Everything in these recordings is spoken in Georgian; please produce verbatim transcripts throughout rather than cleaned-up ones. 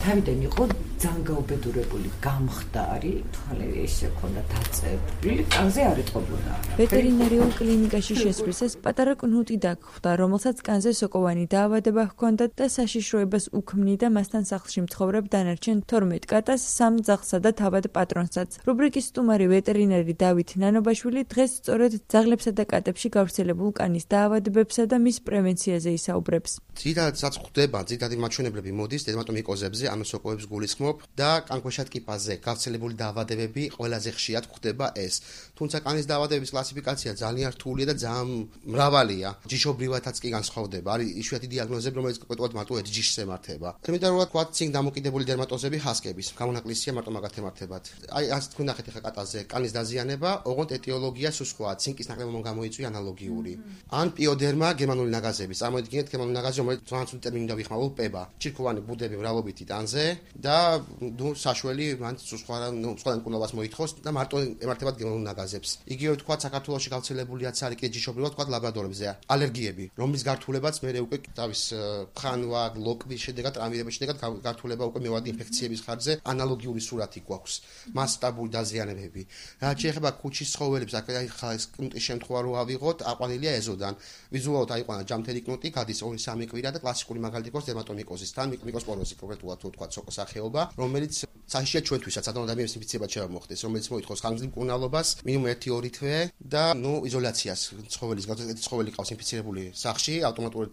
თავიდან იყო ძალიან გაუბედურებული, გამხდარი, ხალე ესე ქონდა დაწებული, კანზე არ ეტყობოდა. ვეტერინარიულ კლინიკაში შესვლისას პატარა კნუტი დაგხვდა, რომელსაც კანზე სოკოვანი დაავადება ჰქონდა და საშიშროებას უქმნიდა მასთან სახლში მცხოვრებ დანარჩენ თორმეტ კატას, სამ ძაღლსა და თავად პატრონსაც. რუბრიკის სტუმარი ვეტერინარი დავით ნანობაშვილი დღეს სწორედ ძაღლებსა და კატებში გავრცელებულ კანის დაავადებებსა და მის პრევენციაზე ისაუბრებს. ძირითადად ხდება, ძირითადი მაჩვენებლები მოდის დერმატომიკოზებზე, ანუ სოკოებს გულისხმობ და კანქვეშა ტკიპაზე გავრცელებული დაავადებები ყველაზე ხშირად ხდება ეს. თუმცა კანის დაავადებების კლასიფიკაცია ძალიან რთულია და ძალიან მრავალია. ჯიშობრივათაც კი განსხვავდება. არის იშვიათი დიაგნოზები, რომელიც კონკრეტულად მარტო ერთ ჯიშს ემართება. ელემენტარულად ვთქვათ, წინ დამოკიდებული დერმატოზები ჰასკების, გამონაკლისია მარტო მაგათ ემართებათ. აი, ასე თქვენ ნახეთ ახლა კატაზე კანის დაზიანება, ოღონდ ეტიოლოგია სუსხაა, ცინკის ნაკლებობამ გამოიწვია ანალოგიური. ან პიოდერმა გერმანული ნაგაზების. წარმოიდგინეთ გერმანული ნაგაზი, რომელიც ფრანგულ ტერმინით დავიხმარებულ პება. ჩირქოვანი ბუდები მრავლობითი ტანზე და ნუ საშველი მან სუსხა, ნუ სხვა მკურნალობას მოითხოვს და მარტო ემართებათ გერმანულ ნაგაზებს. იგივე ვთქვათ, საქართველოში გავრცელებულიაც არის კიდე ჯიშობრივად ვთქვათ ლაბრადორებზე ალერგიები, რომლის გართულებაც მე უკვე თავის ხანვა, ლოკვის შედეგად, ტრამირების შედეგად გართულება უკვე მევადი ინფექციების ხარჯზე ანალოგიური სურათი გვაქვს. მასშტაბური დაზიანებები. რაც შეეხება ქუჩის ცხოველებს, აქ ხა ეს კნუტის შემთხვევა რო ავიღოთ, აყვანილია ეზოდან. ვიზუალურად აიყვანა ჯამთელი კნუტი, გადის ორი სამი კვირა და კლასიკური მაგალითი ყავს დერმატომიკოზის თან მიკროსპოროზი კონკრეტულად თუ თქვა სოკოს სახეობა, რომელიც საშიშია ჩვენთვისაც ადრე ადამიანის ინფექციებად შემოხდეს, რომელიც მოითხოვს ხანგრძლივ მკურნალობას, მინიმუმ ერთი ორი თვე და ნუ იზოლაციას ცხოველის გაუწევთ ცხოველი ყავს ინფიცირებული სახლში, ავტომატურად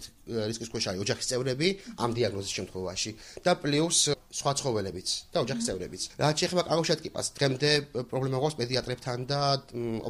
რისკის ქვეშ არის ოჯახის წევრები ამ დიაგნოზის შემთხვევაში და პლუს სხვა ცხოველებიც და ოჯახის წევრებიც. რაც შეეხება კანქვეშა ტკიპას, დღემდე პრობლემა გვაქვს პედიატრებთან და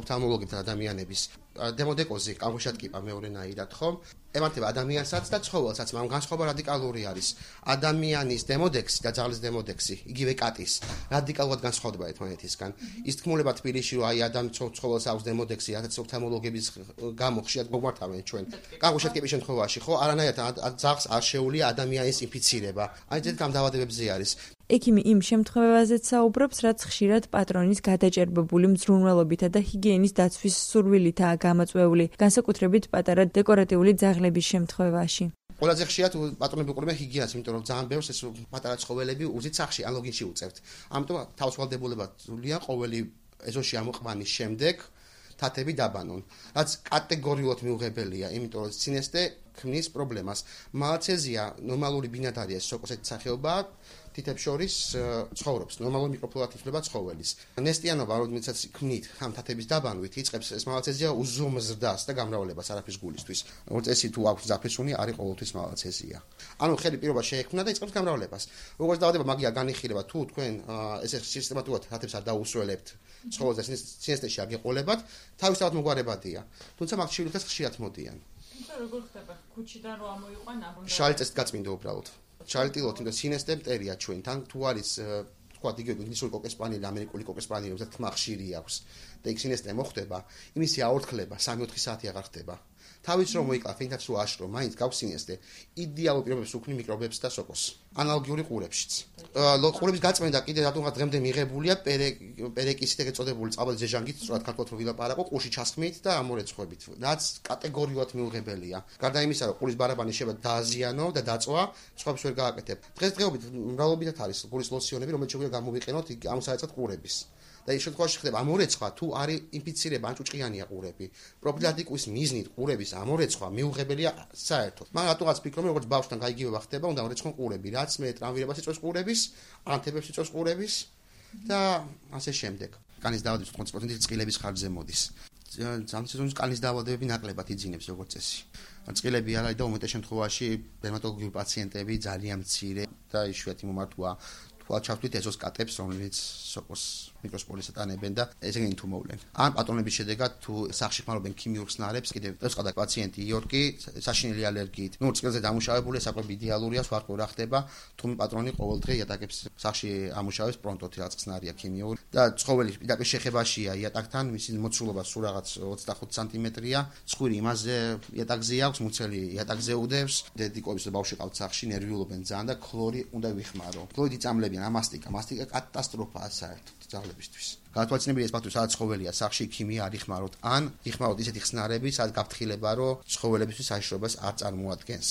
ოფთალმოლოგებთან ადამიანების. დემოდეკოზი კანქვეშა ტკიპა მეორენაირად ხომ? ემართება ადამიანსაც და ცხოველსაც, მაგრამ განსხვავება რადიკალური არის. ადამიანის დემოდექსი და ძაღლის დემოდექსი, იგივე კატის, რადიკალურად განსხვავდება ერთმანეთისგან. ის თქმულება თბილისში, რომ აი ადამიანს ცხოველს აქვს დემოდექსი, რაც ოფთალმოლოგების გამო ხშირად გვმართავენ ჩვენ. კანქვეშა ტკიპის შემთხვევაში, ხო, არანაირად ძაღლს არ შეუძლია ადამიანის ინფიცირება. აი ეს ამ დაავადებებზე არის. ექიმი იმ შემთხვევაზეც საუბრობს, რაც ხშირად პატრონის გადაჭერბებული მზრუნველობითა და ჰიგიენის დაცვის სურვილითაა გამოწვეული, განსაკუთრებით პატარა დეკორატიული ძაღლების შემთხვევაში. ყველაზე ხშირად პატრონები უყურებენ ჰიგიენას, იმიტომ რომ ძალიან ბევრს ეს პატარა ცხოველები უზით სახში, ან ლოგინში უწევთ. ამიტომ თავისუფალდებულება სულია ყოველი ეზოში ამოყვანის შემდეგ თათები დაბანონ. რაც კატეგორიულად მიუღებელია, იმიტომ რომ სინესტე ქმნის პრობლემას. მალაცეზია ნორმალური ბინადარია, სოკოსეთი სახეობა თითებს შორის ცხოვრობს, ნორმალური მიკროფლორა ითვლება ცხოველის. ნესტიანობა, რომელსაც ქმნით ამ თათების დაბანვით, იწყებს ეს მალაცეზია უზომზრდას და გამრავლებას არაფრის გულისთვის. როგორც წესი თუ აქვს ზაფხულსუნი, არის ყოველთვის მალაცეზია. ანუ ხელი პირობა შეექმნა და იწყებს გამრავლებას. როგორც დაავადება მაგია განიხილება, თუ თქვენ ესე სისტემატურად თათებს არ დაუსრულებთ, ცხოველს სინესტეში არ გეყოლებათ, თავისთავად მოგვარებადია. თუმცა მაგ შვილებს ხშირად მოდიან. თუმცა როგორ ხდება ქუჩიდან რო ამოიყვან ამბოლდა? შალიწეს გაწმინდა უბრალოდ. შალიტილოთ, იმიტომ სინესტე მტერია ჩვენთან, თუ არის თქვათ იგივე ინგლისური კოკესპანელი, ამერიკული კოკესპანელი, რომელსაც თმა ხშირი აქვს და იქ სინესტე მოხდება, იმისი აორთქლება სამი ოთხი საათი აღარ ხდება. თავის რომ მოიკლათ, ფინთაც რო აშრო, მაინც გაქვს სინესტე. იდეალურ პირობებს უქმნი მიკრობებს და სოკოს. ანალოგიური ყურებშიც. ყურების გაწმენდა კიდე რატომღაც დღემდე მიღებულია პერეკისით ეგ ეწოდებული წყალბადის ზეჟანგით, სწორად ქართულად რო ვილაპარაკო, ყურში ჩასხმით და ამორეცხვებით. რაც კატეგორიულად მიუღებელია. გარდა იმისა, რომ ყურის ბარაბანი შეიძლება დააზიანო და დაწვა, სხვებს ვერ გააკეთებ. დღესდღეობით მრავლობითად არის ყურის ლოსიონები, რომელიც შეგვიძლია გამოვიყენოთ ამ საერთოდ ყურების. და ის შემთხვევაში ხდება ამორეცხვა, თუ არის ინფიცირება, ან ჭუჭყიანია ყურები. პროფილაქტიკის მიზნით ყურების ამორეცხვა მიუღებელია საერთოდ. მაგრამ რატომღაც ფიქრობ, როგორც ბავშვთან გაიგივება ხდება, უნდა ამორეცხონ ყურები, რაც მე ტრამვირებას იწვევს ყურების, ანთებებს იწვევს ყურების და ასე შემდეგ. კანის დაავადების ოცდაოთხ პროცენტი წყილების ხარჯზე მოდის. ამ სეზონის კანის დაავადებები ნაკლებად იძინებს როგორც წესი. წყილები არა და უმეტეს შემთხვევაში დერმატოლოგიური პაციენტები ძალიან მცირე და იშვიათი მომართვა თვალ ჩავთვლით ეზოს კატებს, რომელიც სოკოს მიკროსპორიზს ატანებენ და ესენი თუ მოვლენ. ან პატრონების შედეგად თუ სახლში ხმარობენ ქიმიურ ხსნარებს, კიდევ წესყადა პაციენტი იორკი საშინელი ალერგიით. ნუ წყილზე დამუშავებული ეს აკვე იდეალურია, სხვა რა ხდება, თუ პატრონი ყოველდღე იატაკებს სახლში ამუშავებს პრონტოთი რაც ხსნარია ქიმიური და ცხოველი პირდაპირ შეხებაშია იატაკთან, მისი მოცულობა სულ რაღაც ოცდახუთ სანტიმეტრია, ცხვირი იმაზე იატაკზე აქვს, მუცელი იატაკზე უდევს, დედიკოების ბავშვი ყავთ სახლში, ნერვიულობენ ძალიან და ქლორი უნდა ვიხმარო. ქლორიდი წამლებიან, ამასტიკა, მასტიკა კატასტროფაა საერთოდ ძაღლებისთვის. გადაგვაცნობია ეს ფაქტი, სადაც ცხოველია სახლში, ქიმია არ იხმაროთ, ან იხმაროთ ისეთი ხსნარები, სადაც გაფრთხილება, რომ ცხოველებისთვის საშიშროებას არ წარმოადგენს.